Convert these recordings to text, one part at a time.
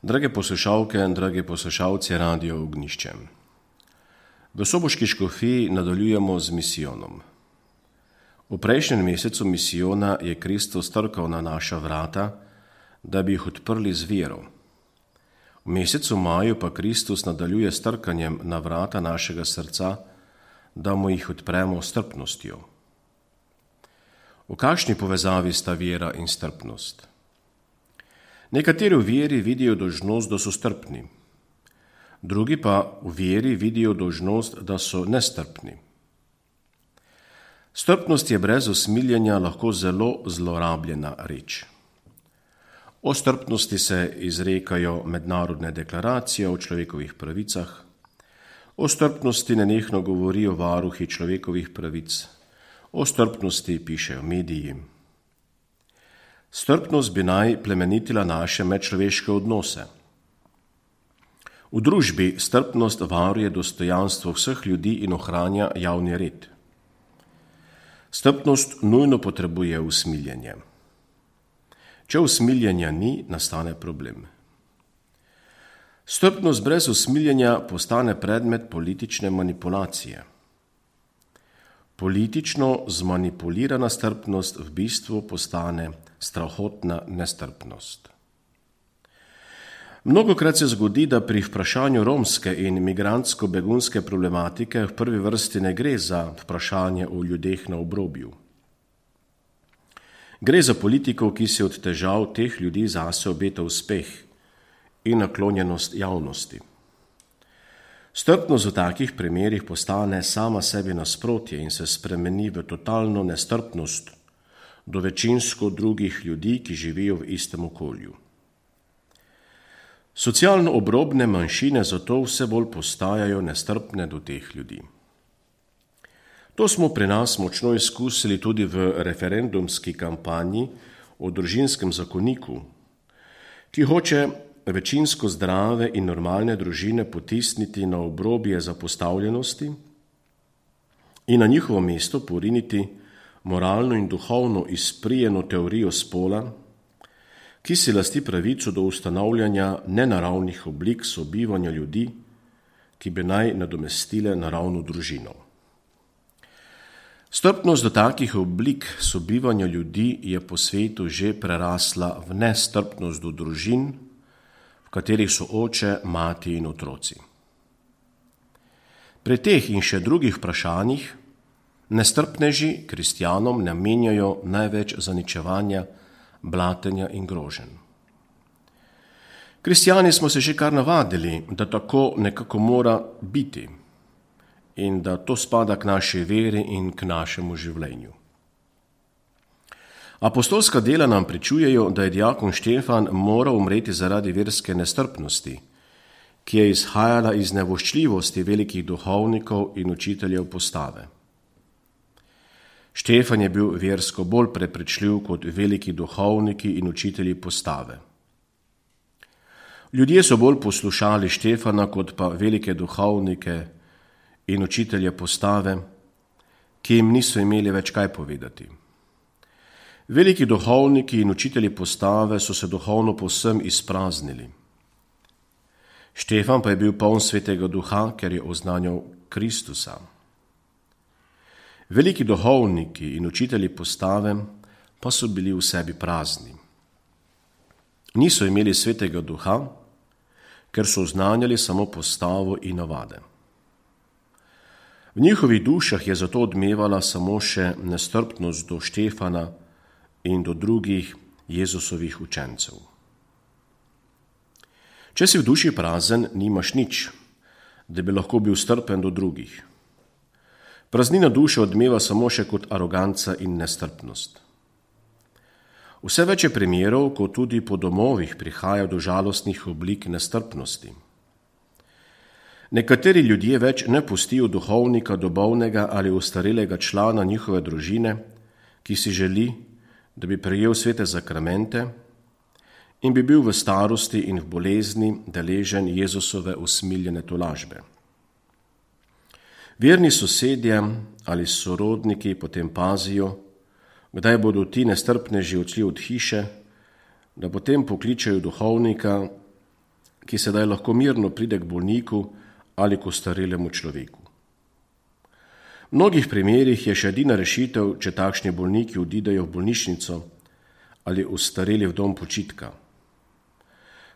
Drage poslušalke in dragi poslušalci Radio Ognjišče. V soboški škofiji nadaljujemo z misijonom. V prejšnjem mesecu misijona je Kristus trkal na naša vrata, da bi jih odprli z vero. V mesecu maju pa Kristus nadaljuje s trkanjem na vrata našega srca, da mu jih odpremo s strpnostjo. V kakšni povezavi sta vera in strpnost? Nekateri v veri vidijo dolžnost, da so strpni, drugi pa v veri vidijo dolžnost, da so nestrpni. Strpnost je brez usmiljenja lahko zelo zlorabljena reč. O strpnosti se izrekajo mednarodne deklaracije o človekovih pravicah, o strpnosti nenehno govorijo varuhi človekovih pravic, o strpnosti pišejo mediji. Strpnost bi naj plemenitila naše medčloveške odnose. V družbi strpnost varuje dostojanstvo vseh ljudi in ohranja javni red. Strpnost nujno potrebuje usmiljenje. Če usmiljenja ni, nastane problem. Strpnost brez usmiljenja postane predmet politične manipulacije. Politično zmanipulirana strpnost v bistvu postane strahotna nestrpnost. Mnogokrat se zgodi, da pri vprašanju romske in migrantsko-begunske problematike v prvi vrsti ne gre za vprašanje o ljudeh na obrobju. Gre za politikov, ki si od težav teh ljudi zase obeta uspeh in naklonjenost javnosti. Strpnost v takih primerih postane sama sebi nasprotje in se spremeni v totalno nestrpnost do večinsko drugih ljudi, ki živijo v istem okolju. Socialno obrobne manjšine zato vse bolj postajajo nestrpne do teh ljudi. To smo pri nas močno izkusili tudi v referendumski kampanji o družinskem zakoniku, ki hoče večinsko zdrave in normalne družine potisniti na obrobje zapostavljenosti in na njihovo mesto poriniti moralno in duhovno izprijeno teorijo spola, ki si lasti pravico do ustanavljanja nenaravnih oblik sobivanja ljudi, ki bi naj nadomestile naravno družino. Strpnost do takih oblik sobivanja ljudi je po svetu že prerasla v nestrpnost do družin, v katerih so oče, mati in otroci. Pri teh in še drugih vprašanjih nestrpneži kristjanom namenjajo največ zaničevanja, blatenja in groženj. Kristjani smo se že kar navadili, da tako nekako mora biti in da to spada k naši veri in k našemu življenju. Apostolska dela nam pričujejo, da je diakon Štefan moral umreti zaradi verske nestrpnosti, ki je izhajala iz nevoščljivosti velikih duhovnikov in učiteljev postave. Štefan je bil versko bolj prepričljiv kot veliki duhovniki in učitelji postave. Ljudje so bolj poslušali Štefana kot pa velike duhovnike in učitelje postave, ki jim niso imeli več kaj povedati. Veliki duhovniki in učitelji postave so se duhovno povsem izpraznili. Štefan pa je bil poln svetega duha, ker je oznanjal Kristusa. Veliki duhovniki in učitelji postave pa so bili v sebi prazni. Niso imeli svetega duha, ker so oznanjali samo postavo in navade. V njihovih dušah je zato odmevala samo še nestrpnost do Štefana in do drugih Jezusovih učencev. Če si v duši prazen, nimaš nič, da bi lahko bil strpen do drugih. Praznina duše odmeva samo še kot aroganca in nestrpnost. Vse več je primerov, ko tudi po domovih prihaja do žalostnih oblik nestrpnosti. Nekateri ljudje več ne pustijo duhovnika, dobovnega ali ostarelega člana njihove družine, ki si želi, da bi prejel svete zakramente in bi bil v starosti in v bolezni deležen Jezusove usmiljene tolažbe. Verni sosedje ali sorodniki potem pazijo, kdaj bodo ti nestrpneži odšli od hiše, da potem pokličejo duhovnika ki sedaj lahko mirno pride k bolniku ali k ostarelemu človeku. V mnogih primerih je še edina rešitev, če takšni bolniki odidejo v bolnišnico ali ostareli v dom počitka.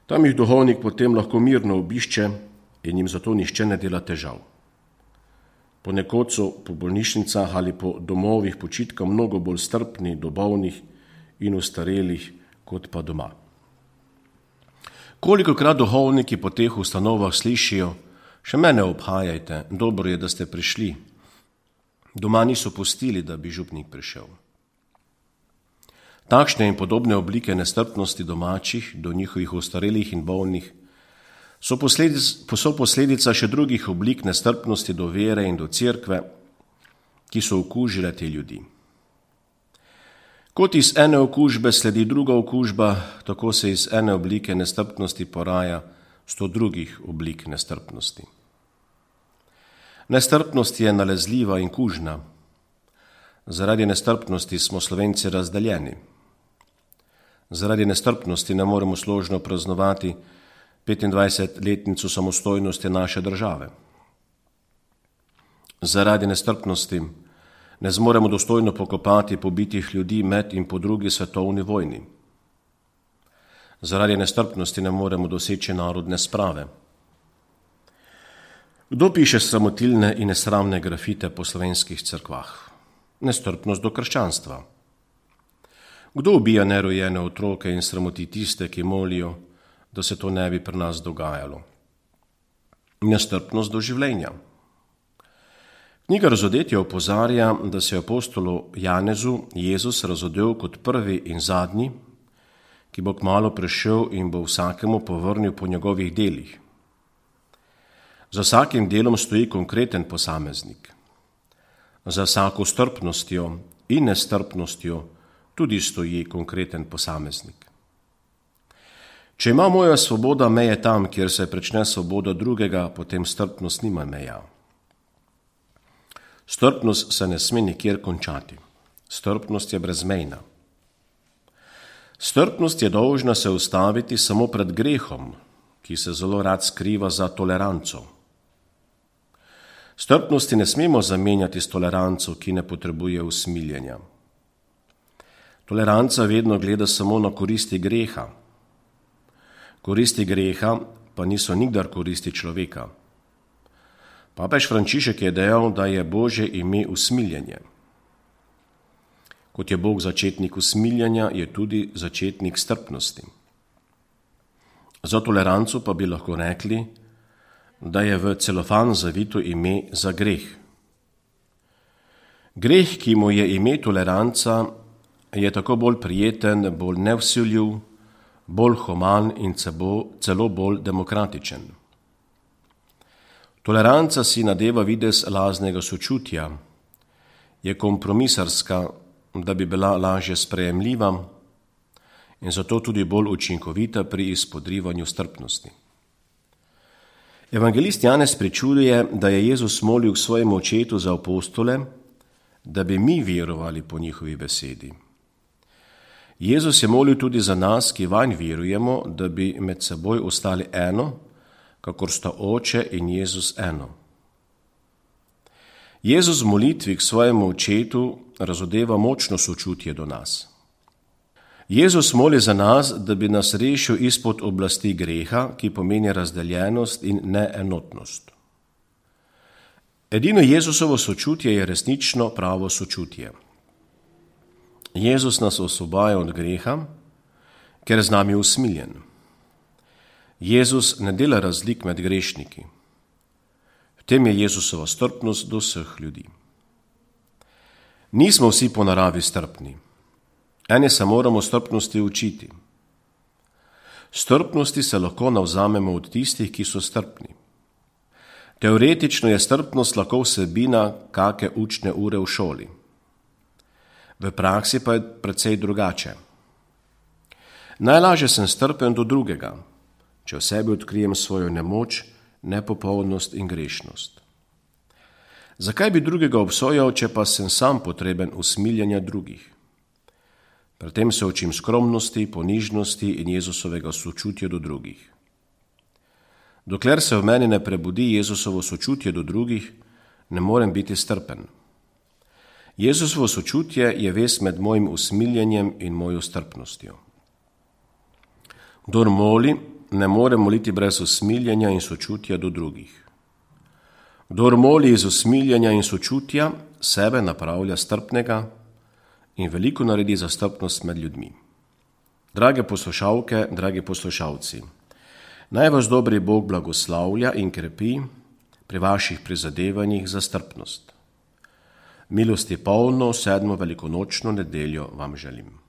Tam jih duhovnik potem lahko mirno obišče in jim zato nihče ne dela težav. Ponekod so po bolnišnicah ali po domovih počitka mnogo bolj strpni do bolnih in ostarelih kot pa doma. Kolikokrat duhovniki po teh ustanovah slišijo: še mene obhajajte, dobro je, da ste prišli. Doma niso pustili, da bi župnik prišel. Takšne in podobne oblike nestrpnosti domačih do njihovih ostarelih in bolnih so posledica še drugih oblik nestrpnosti do vere in do cerkve, ki so okužile te ljudi. Kot iz ene okužbe sledi druga okužba, tako se iz ene oblike nestrpnosti poraja 100 drugih oblik nestrpnosti. Nestrpnost je nalezljiva in kužna. Zaradi nestrpnosti smo Slovenci razdeljeni. Zaradi nestrpnosti ne moremo složno praznovati 25-letnico samostojnosti naše države. Zaradi nestrpnosti ne zmoremo dostojno pokopati pobitih ljudi med in po drugi svetovni vojni. Zaradi nestrpnosti ne moremo doseči narodne sprave. Kdo piše sramotilne in nesramne grafite po slovenskih cerkvah? Nestrpnost do krščanstva. Kdo ubija nerojene otroke in sramoti tiste, ki molijo, da se to ne bi pri nas dogajalo? Nestrpnost do življenja. Knjiga Razodetja opozarja, da se je apostolu Janezu Jezus razodel kot prvi in zadnji, ki bo kmalu prišel in bo vsakemu povrnil po njegovih delih. Za vsakim delom stoji konkreten posameznik. Za vsako strpnostjo in nestrpnostjo tudi stoji konkreten posameznik. Če ima moja svoboda meje tam, kjer se prične svoboda drugega, potem strpnost nima meja. Strpnost se ne sme nikjer končati. Strpnost je brezmejna. Strpnost je dolžna se ustaviti samo pred grehom, ki se zelo rad skriva za toleranco. Strpnosti ne smemo zamenjati s toleranco, ki ne potrebuje usmiljenja. Toleranca vedno gleda samo na koristi greha. Koristi greha pa niso nikdar koristi človeka. Papež Frančišek je dejal, da je Božje ime usmiljenje. Kot je Bog začetnik usmiljenja, je tudi začetnik strpnosti. Za toleranco pa bi lahko rekli, da je v celofan zavito ime za greh. Greh, ki mu je ime toleranca, je tako bolj prijeten, bolj nevsiljiv, bolj human in celo bolj demokratičen. Toleranca si nadeva videz laznega sočutja, je kompromisarska, da bi bila lažje sprejemljiva in zato tudi bolj učinkovita pri izpodrivanju strpnosti. Evangelist Janez pričuje, da je Jezus molil k svojemu očetu za apostole, da bi mi verovali po njihovi besedi. Jezus je molil tudi za nas, ki vanj verujemo, da bi med seboj ostali eno, kakor sta Oče in Jezus eno. Jezus v molitvi k svojemu očetu razodeva močno sočutje do nas. Jezus moli za nas, da bi nas rešil izpod oblasti greha, ki pomeni razdeljenost in neenotnost. Edino Jezusovo sočutje je resnično pravo sočutje. Jezus nas osvobaja od greha, ker je z nami usmiljen. Jezus ne dela razlik med grešniki. V tem je Jezusova strpnost do vseh ljudi. Nismo vsi po naravi strpni. Eni se moramo strpnosti učiti. Strpnosti se lahko navzamemo od tistih, ki so strpni. Teoretično je strpnost lahko vsebina kake učne ure v šoli. V praksi pa je precej drugače. Najlažje sem strpen do drugega, če v sebi odkrijem svojo nemoč, nepopolnost in grešnost. Zakaj bi drugega obsojal, če pa sem sam potreben usmiljenja drugih? Pri tem se učim skromnosti, ponižnosti in Jezusovega sočutja do drugih. Dokler se v meni ne prebudi Jezusovo sočutje do drugih, ne morem biti strpen. Jezusovo sočutje je vez med mojim usmiljenjem in mojo strpnostjo. Kdor moli, ne more moliti brez usmiljenja in sočutja do drugih. Kdor moli iz usmiljenja in sočutja, sebe napravlja strpnega in veliko naredi za strpnost med ljudmi. Drage poslušalke, dragi poslušalci, naj vas dobri Bog blagoslavlja in krepi pri vaših prizadevanjih za strpnost. Milosti polno 7. velikonočno nedeljo vam želim.